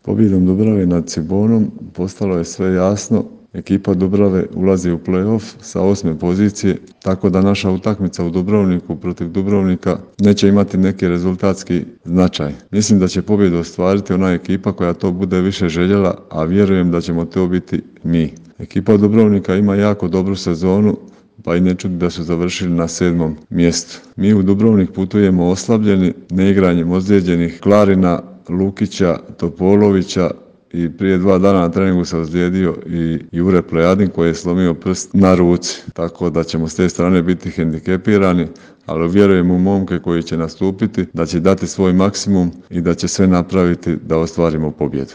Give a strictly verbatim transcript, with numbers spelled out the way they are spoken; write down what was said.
Pobjedom Dubrave nad Cibonom postalo je sve jasno. Ekipa Dubrave ulazi u play-off sa osme pozicije, tako da naša utakmica u Dubrovniku protiv Dubrovnika neće imati neki rezultatski značaj. Mislim da će pobjedu ostvariti ona ekipa koja to bude više željela, a vjerujem da ćemo to biti mi. Ekipa Dubrovnika ima jako dobru sezonu, pa i ne čudi da su završili na sedmom mjestu. Mi u Dubrovnik putujemo oslabljeni, neigranjem ozlijeđenih Klarina, Lukića, Topolovića i prije dva dana na treningu se ozlijedio i Jure Plejadin koji je slomio prst na ruci. Tako da ćemo s te strane biti hendikepirani, ali vjerujem u momke koji će nastupiti, da će dati svoj maksimum i da će sve napraviti da ostvarimo pobjedu.